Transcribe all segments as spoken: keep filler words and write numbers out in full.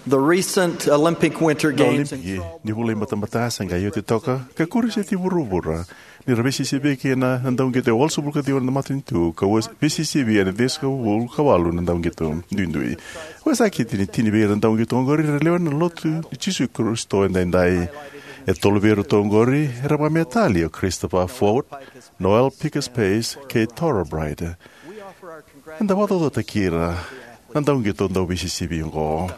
The recent Olympic Winter Na Games Olimpiki ni vula i batabata sa qai oti toka ka kuri seti vuravura, ni ra veisisivi kina na dauqito e walusagavulu ka ciwa na matanitu ka ua veisisivi ena ciwasagavulu ka walu na dauqito duidui. Vakasakiti ni tini vei ira na dauqito oqori era lewe ni Lotu i Jisu Karisito edaidai. E tolu vei iratou oqori era vakametali, o Christopher Ford, Noel Pikus Pace kei Torah Bright. Eda vakacaucautaki ira na dauqito dauveisisivi oqo.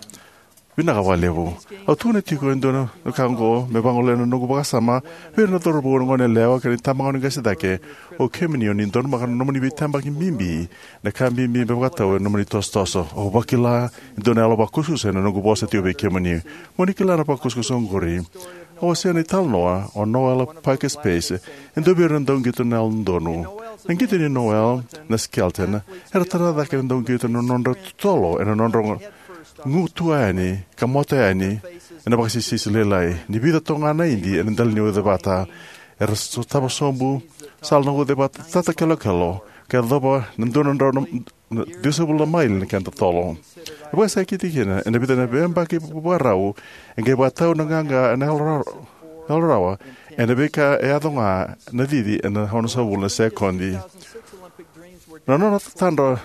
Vinaka vakalevu. Au tukuna tiko e dua na ka oqo me vagolea na noqu vakasama vei ira na cauravou, na goneyalewa kei na itabagone qase cake. O kemuni o ni donumaka na nomuni veitabaki bibi, na ka bibi me vakatau ena nomuni tosotoso. Au vakila e dua na yalo vakusakusa ena noqu vosa tiko vei kemuni. Mo ni kila na vakusakusa oqori. Au wasea na italanoa o Noel Pikus Pace, e dua vei ira na dauqito na Yalododonu. Na qito nei Noel na Skelton era tara cake na dauqito na nodra totolo ena nodra gu tua yani ka moto yani ena vakasisisi lailai. Ni vica toka ga na idi ena dela ni ucevata, era sotava sobu sala na ucevata tata kelokelo ka yacova na dua na drau na, na ciwasagavulu na maili na kena totolo. E vakasakiti kina ena vica na veiyabaki vakarau, e qai vakatau na qaqa ena yalo ra-, yalo rawa ena veika e yaco ga na cici ena onosagavulu na sekodi. Na nona tatadra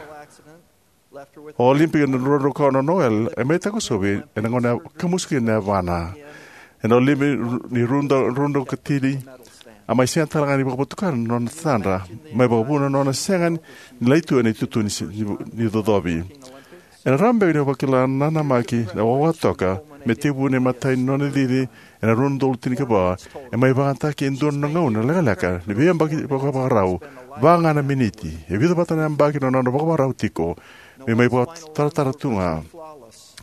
o Olimpiki ena rua na drau ka ono, o Noel e mai takosovi ena gauna e kamusu kina na yavana. Ena Olimpiki ni rua na drau, rua na drau ka tini, a mai sega tale ga ni vakavotukana na nona tatadra, mai vakavuna na nona sega ni lai tu ena itutu ni si-, ni, ni cocovi. Ena rawa beka ni o vakila na nanamaki na wawa toka me tekivu na imatai ni nona cici ena rua na udolu tinikava, e mai vakayagataki e dua na gauna lekaleka ni veiyabaki vakavakarau, va ga na miniti. E vica vata na yabaki na nona vakavakarau tiko me mai vakataratara tu ga.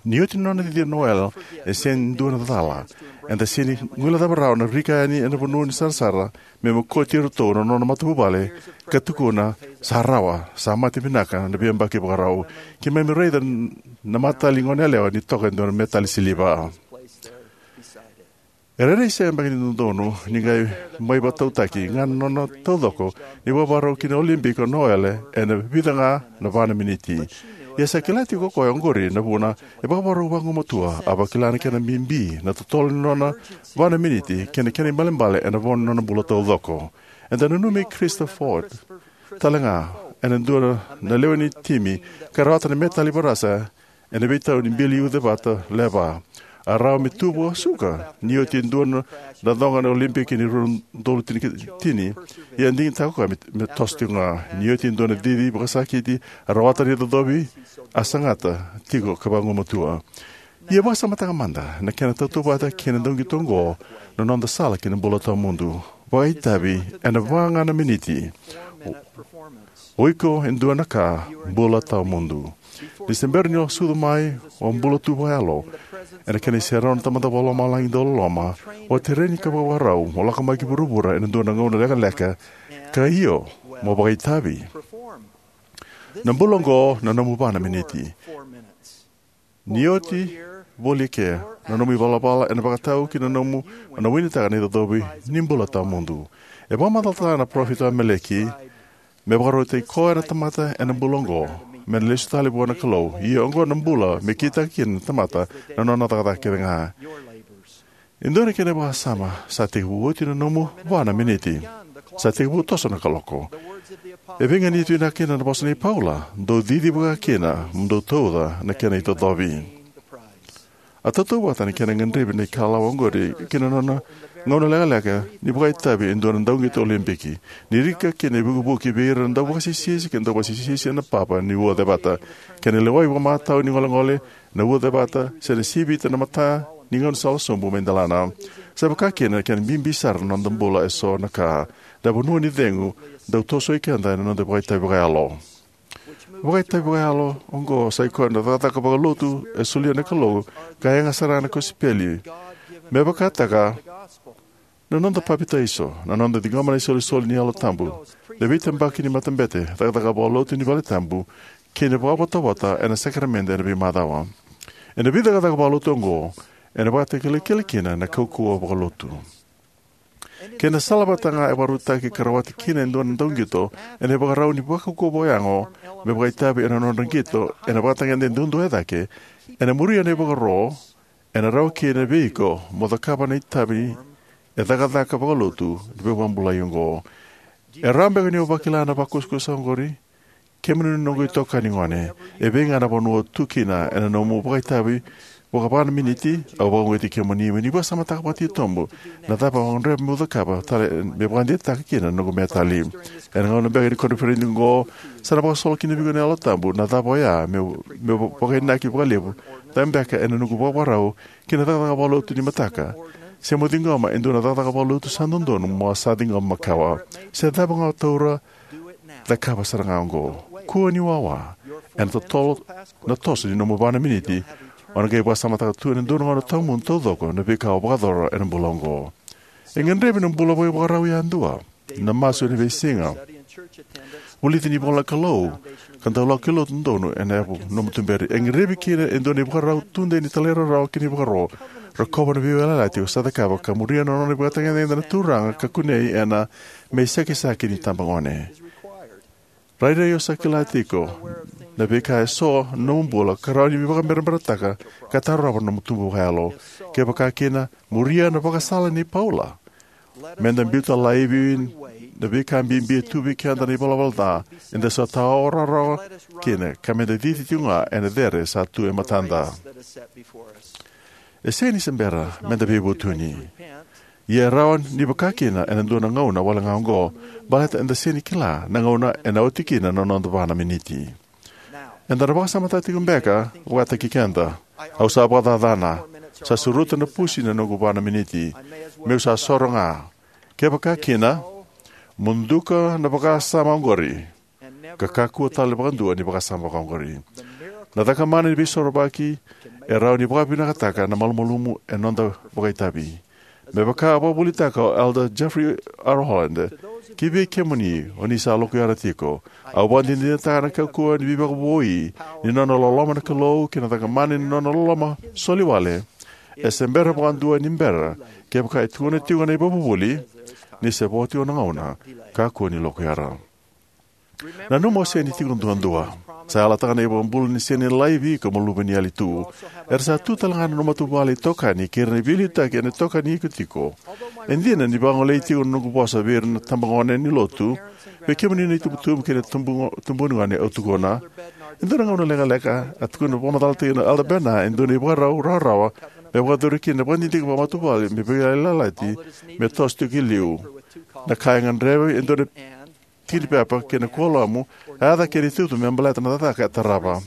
Ni oti na nona cici o Noel, e sega ni dua na cala. Eda sega ni guilecava rawa na rika yani ena vanua ni sarasara me mokoti iratou na nona matavuvale ka tukuna, "Sa rawa, sa mate vinaka na veiyabaki vakarau." Keimami raica na matali goneyalewa ni toka e dua na metali siliva. E rairai sega beka ni dodonu ni qai mai vakatautaki ga na nona taucoko ni vakavakarau ki na Olimpiki o Noel ena vica ga na va na miniti. Ia sa kila tiko o koya oqori na vuna e vakavakarau vagumatua. A vakila na kena bibi na totolo ni nona va na miniti kei na kena ibalebale ena vo ni nona bula taucoko. Eda nanumi Christopher Ford tale ga ena dua na lewe ni timi ka rawata na metali vakarasa ena veitau ni bili ucevata levu. A rawa me tu vakasuka ni oti e dua na coqa na Olimpiki ni rua na udolu tini, ia e digitaka o koya me, me toso tiko ga. Ni oti e dua na cici vakasakiti a rawata na icocovi, a sagata tiko ka vagumatua. Ia vakasamataka mada na kena tautauvata kei na dauqito oqo, na noda sala ki na bula tawamudu. Vakaitavi ena va ga na miniti. O iko e dua na ka bula tawamudu. Ni se bera ni o sucu mai, o bula tu vakayalo ena kena iserau na Tamada Vakalomalagi dauloloma. O tereni ka vakavakarau mo lako mai ki vuravura ena dua na gauna lekaleka, ka io, mo vakaitavi. Na bula oqo na nomu va na miniti. Ni oti voli eke, na nomu ivalavala ena vakatau ki na nomu, na winitaka na icocovi ni bula tawamudu. E vakamacalataka na parofita o Ameleki me vakarautaki koya na tamata ena bula oqo me na lesu tale vua na Kalou. Ia oqo na bula me kitaka kina na tamata na nona cakacaka kece ga. E dua na kena vakasama, sa tekivu oti na nomu va na miniti. Sa tekivu toso na kaloko. E veiganiti vinaka kina na vosa nei Paula, dou cici vaka kina mo dou tauca na kena icocovi. A tautauvata na kena gadrevi na ikalawa oqori ki na nona gauna lekaleka ni vakaitavi e dua na dauqito Olimpiki. Ni rika kina e vukivuki vei ira na dauvakasisisi kei na dauvakasisisi ena papa ni ucevata, kei na lewai vakamatau ni golegole na ucevata, se na sivita na mata ni gaunisala sobu mai delana. Sa vaka kina na kena bibi sara na noda bula e so na ka, na vanua ni cegu dau tosoi keda ena noda vakaitavi vakayalo. Vakaitavi vakayalo oqo sa i koya na cakacaka vakalotu e solia na Kalou ka yaga sara na kosipeli. Me vakataka na noda papitaiso, na noda ciqoma na isolisoli ni Yalo Tabu, na veitabaki ni matabete, cakacaka vakalotu ni valetabu, kei na vakavotavota ena sakaramede ena veimacawa. Ena veicakacaka vakalotu oqo, ena vakatakilakila kina na kaukauwa vakalotu. Kei na sala vata ga e vakarautaki ka rawati kina e dua na dauqito ena ivakarau ni vakaukauwa vakayago me vakaitavi ena nodra qito ena vakatagede duadua e cake, ena muria na ivakaro Ena rawa kina vei iko mo cakava na itavi e cakacaka vakalotu ni veivakabulai oqo. E rawa beka ni o vakila na vakusakusa oqori? Kemuni na noqu itokani gone, e vei ga na vanua o tu kina ena nomu vakaitavi vaka va na miniti, au vakauqeti kemuni mo ni vakasamataka vakatitobu na cava o gadreva mo cakava tale me vakadeitaka kina na noqu metali. Ena gauna beka ni koniferedi oqo, sa na vakasolo kina vei iko na Yalo Tabu na cava oya meu, meu vakainaki vakalevu, cava beka ena noqu vakavakarau ki na cakacaka vakalotu ni mataka, se mo ciqoma e dua na cakacaka vakalotu sa dodonu mo sa ciqoma makawa. Se cava ga o taura, cakava sara ga oqo. Kua ni wawa. Ena totolo na toso ni nomu va na miniti, o na qai vakasamataka tu ena dua na gauna tawamudu taucoko na veika o vakayacora ena bula oqo. E gadrevi na bula vakaivakarau yadua, na masu ena veisiga, vulici ni ivola na Kalou, ka dau lako ki lotu donu ena yavu nomu tuberi. E gadrevi kina e dua na ivakarau tudei ni talairawarawa kei na ivakaro. Rokova na veiyalayalati o sa cakava ka muria na nona ivakatagedegede na Turaga ka kunei ena Me iSakisaki ni iTabagone. Rairai o sa kila tiko na veika eso na nomu bula ka rawa ni veivakaberaberataka ka tarova na nomu tubu vakayalo. Kevaka kina, muria na vakasala nei Paula. Meda biuta laivi na veika bibi e tu vei keda na ivalavala ca eda sa tawa rawarawa kina, ka meda cici tiko ga ena cere sa tu e matada. E sega ni se bera meda veivutuni. Ia e rawa ni vaka kina ena dua na gauna wale ga oqo, baleta eda sega ni kila na gauna ena oti kina na noda va na miniti. Eda na vakasamataka tiko beka vakataki keda. Au sa vakacacana. Sa suruta na pusi na noqu va na miniti. Meu sa soro ga. Kevaka kina, muduka na vakasama oqori, ka kakua tale vakadua ni vakasama vakaoqori. Na cakamana ni veisorovaki e rawa ni vakavinakataka na malumalumu e noda vakaitavi. Me vaka a vakavuvulitaka o Elder Jeffrey R. Holland, ki vei kemuni o ni sa lokuyara tiko, au vakadinadinataka na kaukauwa ni veivakavoui ni nona loloma na Kalou kei na cakamana ni nona loloma soli wale. E se bera vakadua ni bera, kevaka e tukuna tiko na ivakavuvuli, ni se vo tiko na gauna, kakua ni lokuyara. Nanuma o sega ni tiko duadua. Sa yalataka na iVakabula ni sega ni laivi iko mo luve ni yali tu. Era sa tu tale ga na nomu matavuvale itokani kei ira na veiliutaki ena tokani iko tiko. E dina ni vagolei tiko na noqu vosa vei ira na tabagone ni lotu, vei kemuni na itubutubu kei na tubu, tubuani gone au tukuna. E dua na gauna lekaleka a tukuna vakamacalataki na Elder Bednar e dua na ivakarau rawarawa me vakayacori kina na vakadidike vakamatavuvale me veiyalayalati me toso tiko ki liu. Na ka e gadrevi e dua na tiki ni pepa kei na kuoramu, a yaca kei na itutu me baleta na cakacaka e tarava.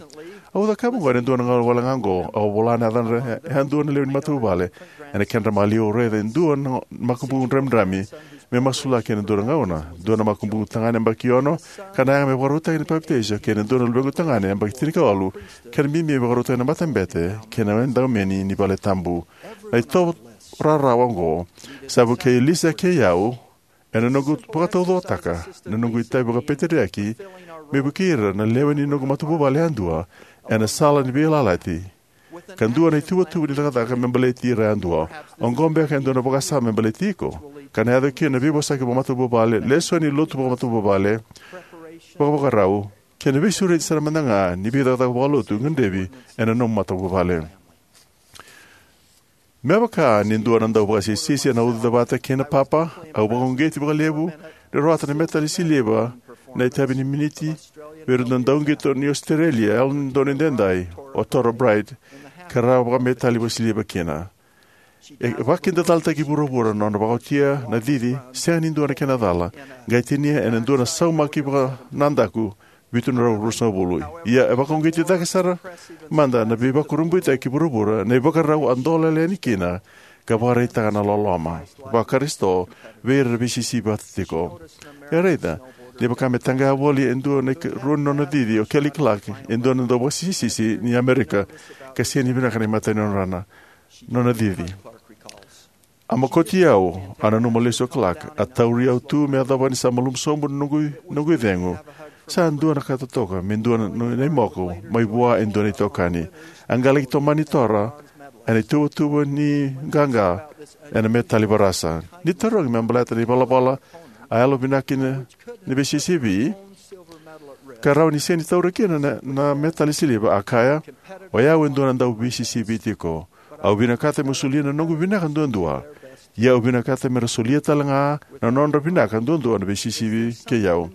Au cakava oqo ena dua na gauna wale ga oqo, au vola na yacadra e dua na lewe ni matavuvale. Ena kedra maliwa au raica e dua na makubuqu dramidrami me masulaki ena dua na gauna. Dua na makubuqu tagane yabaki ono, ka na yaga me vakarautaki na papitaiso, kei na dua na luvequ tagane yabaki tinikawalu, ka na bibi me vakarautaki na matabete kei na edaumeni ni vale tabu. Na itovo rawarawa oqo sa vukei Lisa kei au, ena noqu vakataucokotaka na noqu itavi vakapeteriaki me vukei ira na lewe ni noqu matavuvale yadua ena sala ni veiyalayalati, ka dua na ituvatuva ni cakacaka me baleti ira yadua. Oqo beka e dua na vakasama me baleti iko, ka na yaco kina na veivosaki vakamatavuvale, lesoni lotu vakamatavuvale, vakavakarau, kei na veisureti sara mada ga ni veicakacaka vakalotu gadrevi ena nomu matavuvale. Me vaka ni dua na dau vakasisisi ena uca vata kei na papa, au vakauqeti vakalevu ni rawata na metali siliva na itavi ni miniti vei ira na dauqito ni Ositerelia e Yalododonu Edaidai, o Torah Bright, ka rawa vakametali vakasiliva kina. E vakakidacalataki vuravura na nona vakaotia na cici sega ni dua na kena cala, qai tinia ena dua na saumaki vakanadaku vitu na drau ruasagavulu. Ia e vakauqeti cake sara mada na veivakurabuitaki ki vuravura na ivakarau a dolele yani kina ka vakaraitaka na loloma vaKarisito vei ira era veisisivi vata tiko. E raica ni vaka me taqaya voli e dua na ikarua ni nona cici o Kelly Clark, e dua na dauvakasisisi ni Amerika, ka sega ni vinaka na imatai ni nona, nona cici. A mokoti au, a nanuma lesu o Clark, a tauri au tu me yacova ni sa malumu sobu na noqu, noqu icegu. Sa dua na ka totoka me dua na, na, na imoko mai vua e dua na itokani. A qai laki tomani Torah ena ituvatuva ni qaqa ena metali varasa. Ni tarogi me baleta na ivalavala a yalovinaka ni, ni veisisivi, ka rawa ni sega ni taura kina na, na metali siliva, a kaya, o yau e dua na dauveisisivi tiko. Au vinakata meu solia na noqu vinaka duadua, ia au vinakata me ra solia tale ga na nodra vinaka duadua na veisisivi kei au.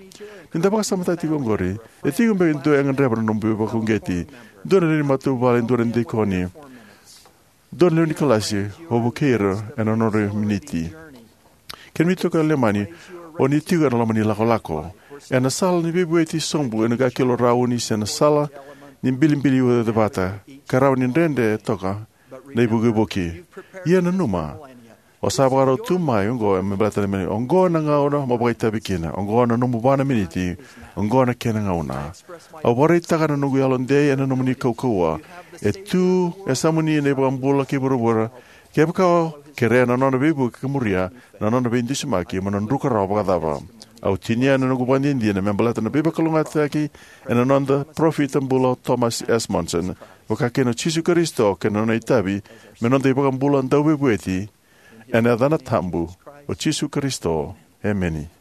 Ni da vakasamataka tiko oqori, e tiko beka e dua e gadreva na nomu veivakauqeti, dua na lewe ni matavuvale, dua na dikoni, dua na lewe ni kalasi, o vukei ira ena nodra miniti. Kemuni toka e Leimani, o ni tiko ena loma ni lakolako, ena sala ni veivueti sobu ena qakilo rauni se na sala ni bilibili ucacevata, ka rawa ni dredre toka na ivukivuki. Ia nanuma, o sa vakarau tu mai oqo me baleta na meni, oqo na gauna mo vakaitavi kina, oqo na nomu va na miniti, oqo na kena gauna. Au vakaraitaka na noqu yalodei ena nomuni kaukauwa. E tu e yasamuni na iVakabula kei vuravura. Kevaka o kerea na nona veivuke ka muria na nona veidusimaki, mo na druka rawa vakacava? Au tinia na noqu vakadinadina me baleta na veivakalougatataki ena noda parofita bula o Thomas S. Monson, vaka kina o Jisu Karisito kei na nona itavi me noda iVakabula dauveivueti, ena yacana tabu o Jisu Karisito. Emeni.